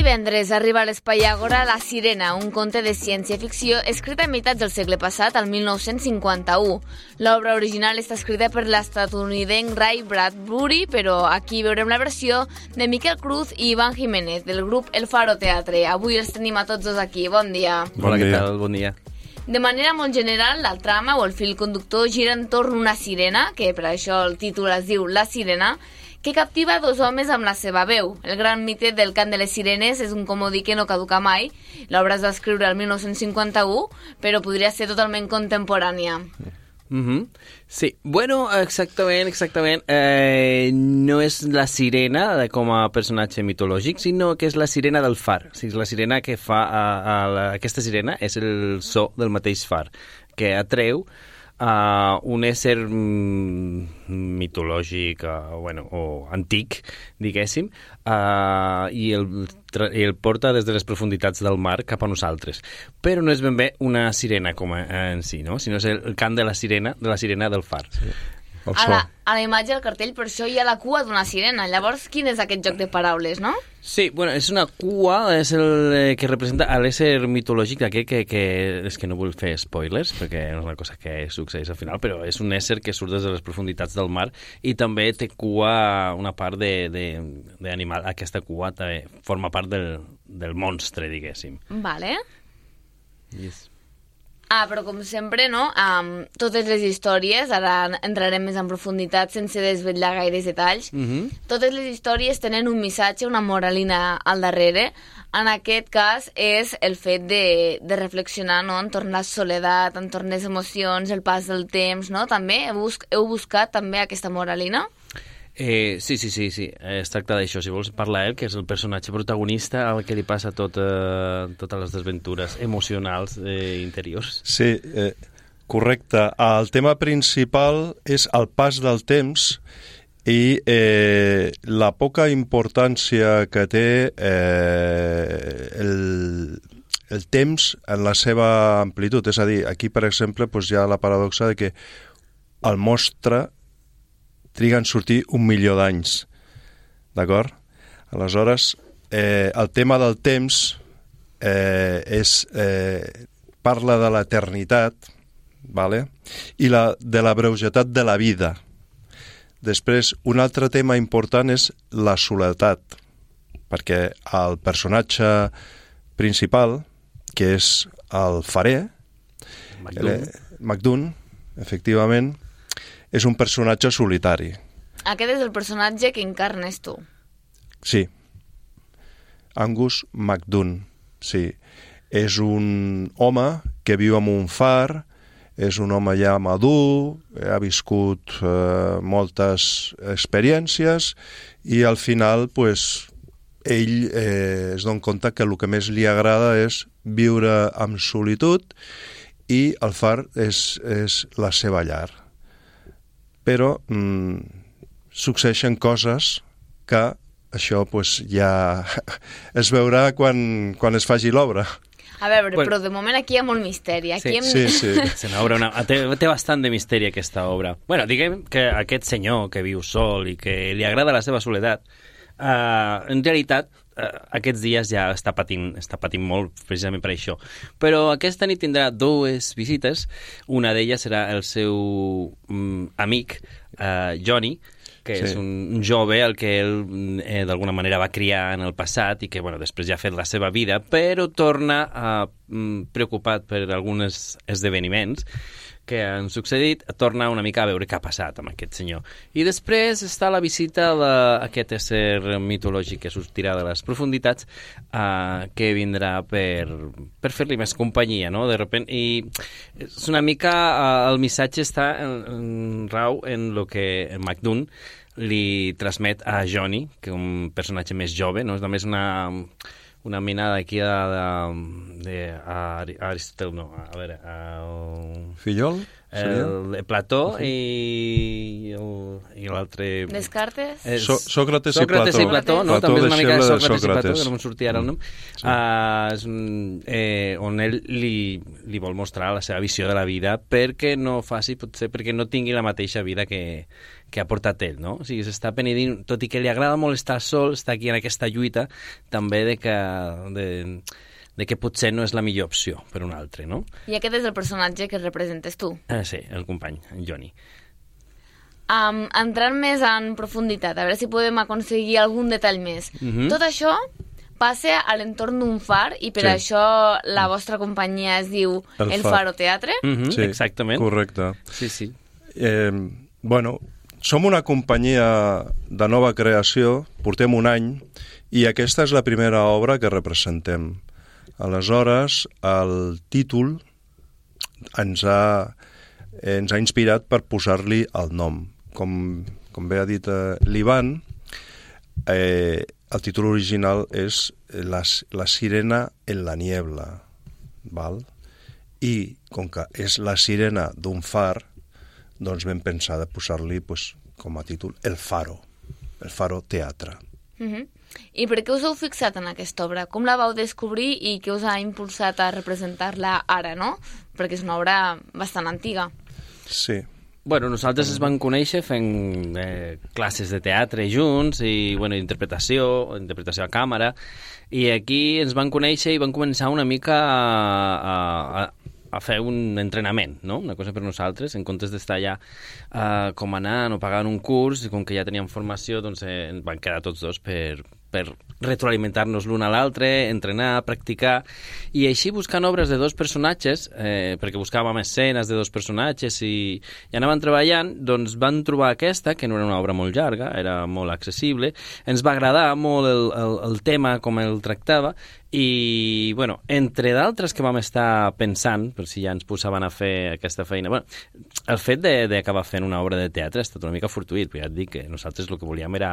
divendres arriba a l'Espai Àgora La Sirena, un conte de ciència-ficció escrit a meitats del segle passat, al 1951. L'obra original està escrita per l'estatunidenc Ray Bradbury, però aquí veurem la versió de Miquel Cruz i Iván Jiménez, del grup El Faro Teatre. Avui els tenim a tots dos aquí. Bon dia. Hola, què tal? Bon dia. De manera molt general, la trama o el fil conductor gira entorn una sirena, que per això el títol es diu La Sirena, que captiva dos homes amb la seva veu. El gran mite del cant de les sirenes és un comodí que no caduca mai. L'obra es va escriure el 1951, però podria ser totalment contemporània. Sí, bueno, exactament. No és la sirena com a personatge mitològic, sinó que és la sirena del far. O sigui, la sirena que fa... aquesta sirena és el so del mateix far, que atreu un ésser mitològic o antic, diguéssim, i el porta des de les profunditats del mar cap a nosaltres. Però no és ben bé una sirena com en si, no? Sinó és el cant de la sirena del far. Sí. A la imatge del cartell, per això hi ha la cua d'una sirena. Llavors, quin és aquest joc de paraules, no? Sí, bueno, és una cua, és el que representa l'ésser mitològic d'aquest que és que no vull fer spoilers, perquè és una cosa que succeeix al final, però és un ésser que surt des de les profunditats del mar i també té cua, una part d'animal. Aquesta cua també forma part del monstre, diguéssim. Vale. Yes. Però com sempre, no? Totes les històries, ara entrarem més en profunditat sense desvetllar gaires detalls, totes les històries tenen un missatge, una moralina al darrere. En aquest cas és el fet de reflexionar, no?, entorn la soledat, entorn les emocions, el pas del temps, no? També heu buscat també aquesta moralina? Sí. Es tracta d'això. Si vols parlar ell, que és el personatge protagonista al que li passa totes les desventures emocionals interiors. Sí, correcte. El tema principal és el pas del temps i la poca importància que té el temps en la seva amplitud. És a dir, aquí, per exemple, hi ha la paradoxa de que el monstre triga en sortir 1 milió d'anys, d'acord? Aleshores, el tema del temps parla de l'eternitat, vale? I de la breugetat de la vida. Després, un altre tema important és la soledat, perquè el personatge principal, que és el farer, MacDoon, efectivament, és un personatge solitari. Aquest és el personatge que encarnes tu. Sí. Angus MacDoon, sí. És un home que viu en un far, és un home ja madur, ha viscut moltes experiències i al final ell es dona compte que el que més li agrada és viure amb solitud i el far és la seva llar. Però succeeixen coses que això ja es veurà quan es faci l'obra. A veure, però de moment aquí hi ha molt misteri. Sí. Té bastant de misteri aquesta obra. Bueno, diguem que aquest senyor que viu sol i que li agrada la seva soledat, en realitat aquests dies ja està patint molt precisament per això. Però aquesta nit tindrà 2 visites. Una d'elles serà el seu amic, Johnny, que és un jove al que ell d'alguna manera va criar en el passat i que després ja ha fet la seva vida, però torna preocupat per alguns esdeveniments que han succeït, torna una mica a veure què ha passat amb aquest senyor. I després està la visita d'aquest ésser mitològic que sortirà de les profunditats, que vindrà per fer-li més companyia, no? De repente, i és una mica el missatge està rau en el que MacDoon li transmet a Johnny, que és un personatge més jove, no? És només una mena d'aquí d'Aristòtel, no, a veure... Fillol? Plató i l'altre... Descartes? Sòcrates i Plató, no? També és una mica de Sòcrates i Plató, que no me'n sortia ara el nom. On ell li vol mostrar la seva visió de la vida perquè no faci, potser perquè no tingui la mateixa vida que ha portat ell, no? O sigui, s'està penedint, tot i que li agrada molt estar sol, està aquí en aquesta lluita també de que potser no és la millor opció per un altre, no? I aquest és el personatge que representes tu. Sí, el company, en Johnny. Entrant més en profunditat, a veure si podem aconseguir algun detall més. Tot això passa a l'entorn d'un far i per això la vostra companyia es diu El Faro Teatre. Sí, exactament. Correcte. Sí. Bueno, som una companyia de nova creació, portem un any, i aquesta és la primera obra que representem. Aleshores, el títol ens ha inspirat per posar-li el nom. Com bé ha dit l'Ivan, el títol original és La sirena en la niebla, val? I com que és la sirena d'un far, doncs vam pensar de posar-li com a títol El Faro Teatre. I per què us heu fixat en aquesta obra? Com la vau descobrir i què us ha impulsat a representar-la ara, no? Perquè és una obra bastant antiga. Sí. Bueno, nosaltres es vam conèixer fent classes de teatre junts i interpretació a càmera, i aquí ens vam conèixer i vam començar una mica a fer un entrenament, no? Una cosa per nosaltres, en comptes d'estar allà com anant o pagant un curs, i com que ja teníem formació, doncs ens van quedar tots dos per retroalimentar-nos l'un a l'altre, entrenar, practicar, i així buscant obres de dos personatges, perquè buscàvem escenes de dos personatges i anàvem treballant, doncs van trobar aquesta, que no era una obra molt llarga, era molt accessible, ens va agradar molt el tema, com el tractava, i, bueno, entre d'altres que vam estar pensant, per si ja ens posaven a fer aquesta feina, bueno, el fet d'acabar fent una obra de teatre ha estat una mica fortuït, però ja et dic que nosaltres el que volíem era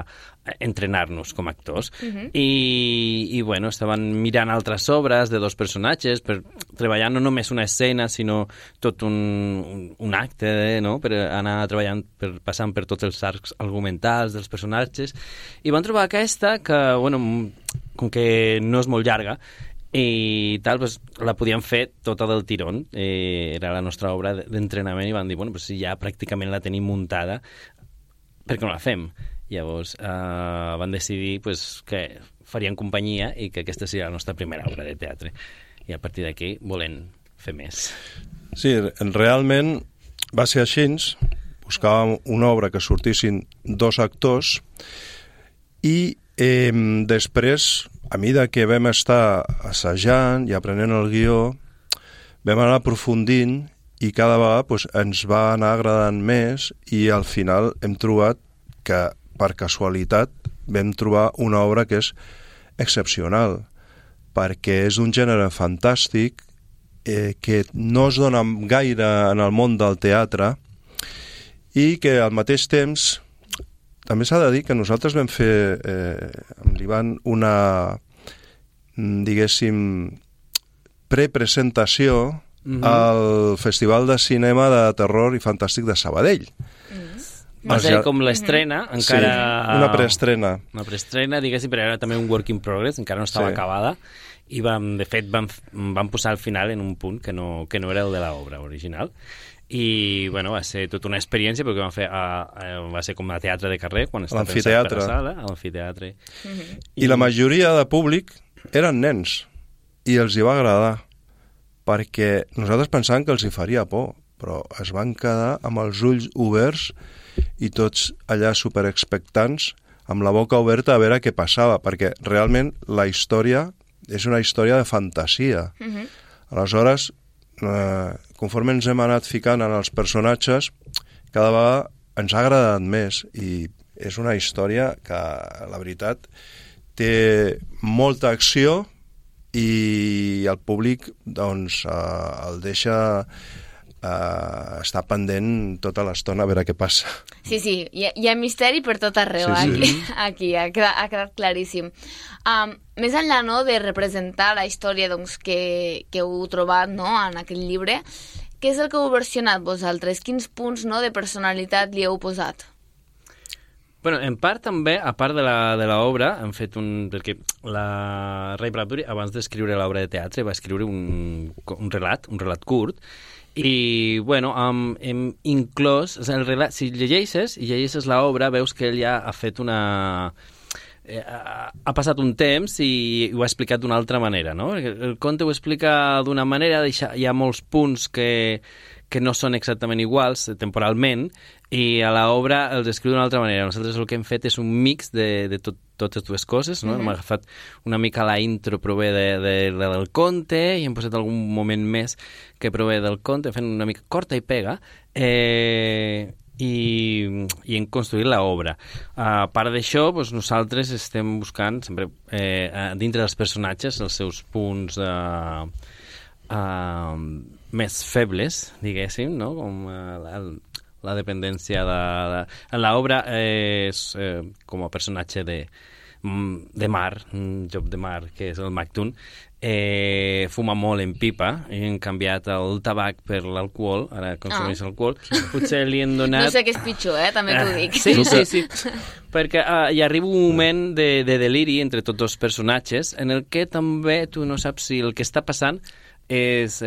entrenar-nos com a actors, i bueno, estaven mirant altres obres de dos personatges, per treballar no només una escena, sinó tot un acte, no?, per anar treballant, passant per tots els arcs argumentals dels personatges, i van trobar aquesta que, bueno, com que no és molt llarga i tal, pues, la podíem fer tota del tirón, era la nostra obra d'entrenament, i van dir, bueno, pues, si ja pràcticament la tenim muntada, per què no la fem? Llavors van decidir pues, que farien companyia i que aquesta seria la nostra primera obra de teatre, i a partir d'aquí volem fer més. Sí, realment va ser així. Buscàvem una obra que sortissin dos actors i després, a mesura que vam estar assajant i aprenent el guió, vam anar aprofundint i cada vegada pues, ens va anar agradant més, i al final hem trobat que, per casualitat, vam trobar una obra que és excepcional, perquè és d'un gènere fantàstic que no es dona gaire en el món del teatre, i que al mateix temps també s'ha de dir que nosaltres vam fer amb l'Ivan una, diguéssim, prepresentació al Festival de Cinema de Terror i Fantàstic de Sabadell. Va ser com l'estrena, encara... Sí, una preestrena. Una preestrena, diguéssim, però era també un work in progress, encara no estava acabada, i de fet vam posar al final en un punt que no era el de l'obra original. I, bueno, va ser tota una experiència, perquè va ser com a teatre de carrer, quan estava pensat per la sala, a l'amfiteatre. I la majoria de públic eren nens, i els hi va agradar, perquè nosaltres pensàvem que els hi faria por, però es van quedar amb els ulls oberts i tots allà superexpectants, amb la boca oberta a veure què passava, perquè realment la història és una història de fantasia. Aleshores, conforme ens hem anat ficant en els personatges, cada vegada ens ha agradat més, i és una història que, la veritat, té molta acció, i el públic doncs, el deixa estar pendent tota l'estona a veure què passa. Sí, hi ha misteri per tot arreu, aquí ha quedat claríssim. Més enllà, no, de representar la història doncs, que heu trobat, no, en aquest llibre, què és el que heu versionat vosaltres? Quins punts de personalitat li heu posat? Bueno, en part també, a part de l'obra, hem fet perquè la Ray Bradbury, abans d'escriure l'obra de teatre, va escriure un relat curt, i, bueno, hem inclòs el relat. Si llegeixes l'obra, veus que ell ja ha fet ha passat un temps i ho ha explicat d'una altra manera, no? El conte ho explica d'una manera, hi ha molts punts que no són exactament iguals temporalment, i a l'obra els escriu d'una altra manera. Nosaltres el que hem fet és un mix de totes dues coses, no? Hem agafat una mica la intro, prové del conte, i hem posat algun moment més que prové del conte, fent una mica corta i pega, i hem construït l'obra. A part d'això, nosaltres estem buscant sempre dintre dels personatges els seus punts més febles, diguéssim, no? Com la dependència en l'obra és com a personatge de mar, un joc de mar, que és el Macdun, fuma molt en pipa, i han canviat el tabac per l'alcohol, ara consumeix alcohol. Potser li han donat... No sé què és pitjor, també t'ho dic. Sí. Perquè hi arriba un moment de deliri entre tots els personatges en el que també tu no saps si el que està passant és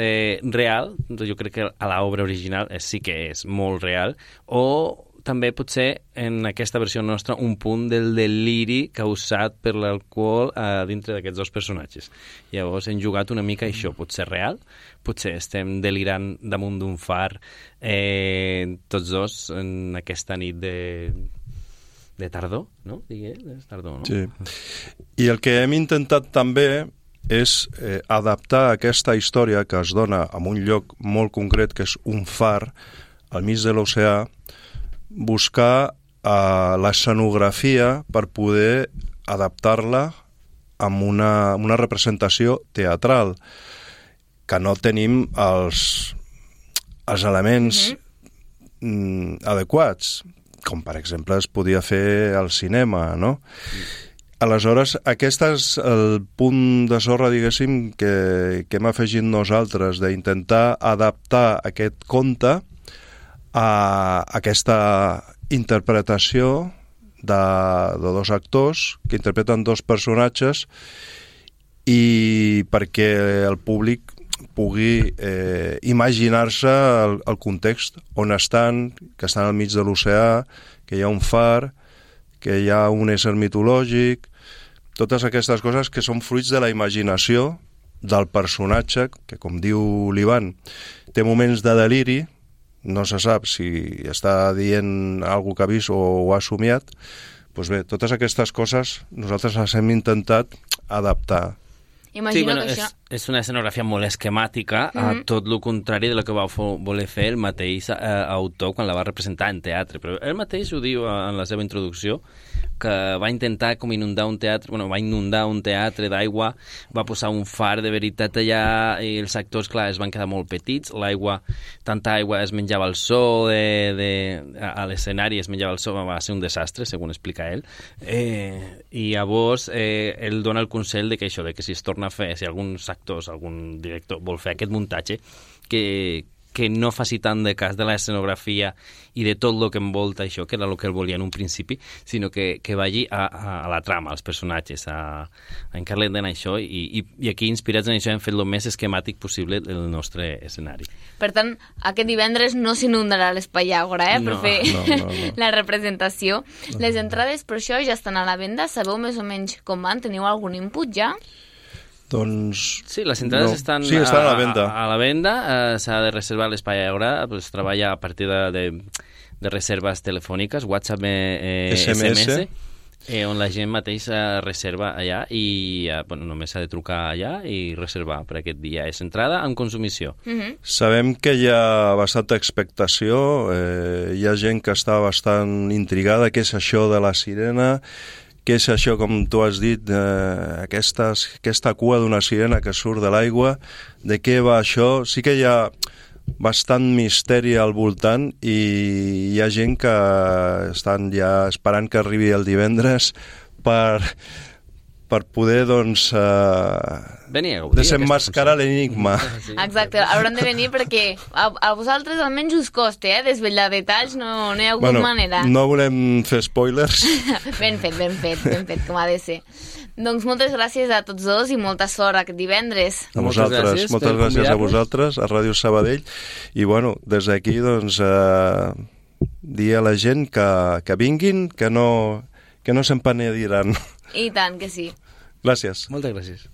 real. Jo crec que a l'obra original sí que és molt real, o també potser en aquesta versió nostra un punt del deliri causat per l'alcohol dintre d'aquests dos personatges. Llavors hem jugat una mica això, potser real, potser estem delirant damunt d'un far tots dos en aquesta nit de tardor, no? És tardor, no? Sí. I el que hem intentat també és adaptar aquesta història que es dona en un lloc molt concret, que és un far al mig de l'oceà, buscar l'escenografia per poder adaptar-la amb una representació teatral, que no tenim els elements adequats, com per exemple es podia fer al cinema, no? Aleshores, aquest és el punt de sorra, diguéssim, que hem afegit nosaltres, d'intentar adaptar aquest conte a aquesta interpretació de dos actors que interpreten dos personatges, i perquè el públic pugui imaginar-se el context on estan, que estan al mig de l'oceà, que hi ha un far, que hi ha un ésser mitològic, totes aquestes coses que són fruits de la imaginació del personatge, que, com diu l'Ivan, té moments de deliri, no se sap si està dient alguna que ha vist o ho ha somiat. Doncs bé, totes aquestes coses nosaltres les hem intentat adaptar. Imagino que això... És una escenografia molt esquemàtica, a tot el contrari de lo que va voler fer el mateix autor quan la va representar en teatre. Però ell mateix ho diu en la seva introducció, que va intentar com inundar un teatre d'aigua, va posar un far de veritat allà, i els actors, clar, es van quedar molt petits, tanta aigua es menjava el so, a l'escenari es menjava el so, va ser un desastre, segons explica ell. I llavors ell dona el consell de que si es torna a fer, si alguns actors, algun director vol fer aquest muntatge, que no faci tant de cas de l'escenografia i de tot el que envolta això, que era el que ell volia en un principi, sinó que vagi a la trama, als personatges, a encarregar en això, i aquí, inspirats en això, hem fet el més esquemàtic possible el nostre escenari. Per tant, aquest divendres no s'inundarà l'Espai Àgora, per fer la representació. Les entrades per això ja estan a la venda, sabeu més o menys com van? Teniu algun input ja? Doncs... Sí, les entrades estan a la venda. A la venda, s'ha de reservar l'Espai Àgora, es treballa a partir de reserves telefòniques, WhatsApp, SMS, on la gent mateix reserva allà, i només s'ha de trucar allà i reservar per aquest dia. És entrada amb consumició. Sabem que hi ha bastanta expectació, hi ha gent que està bastant intrigada, què és això de la sirena, què és això, com tu has dit, aquesta cua d'una sirena que surt de l'aigua, de què va això? Sí que hi ha bastant misteri al voltant, i hi ha gent que estan ja esperant que arribi el divendres per per poder, doncs, Venir a gaudir desenmascarar l'enigma. Sí. Exacte, hauran de venir perquè a vosaltres almenys us costa, desvetllar detalls, no hi ha alguna manera. No volem fer spoilers. Ben fet, com ha de ser. Doncs moltes gràcies a tots dos i molta sort aquest divendres. A vosaltres, moltes gràcies a vosaltres, a Ràdio Sabadell. I, bueno, des d'aquí, doncs, dir a la gent que vinguin, que no se'n penediran. I tant que sí. Gràcies. Moltes gràcies.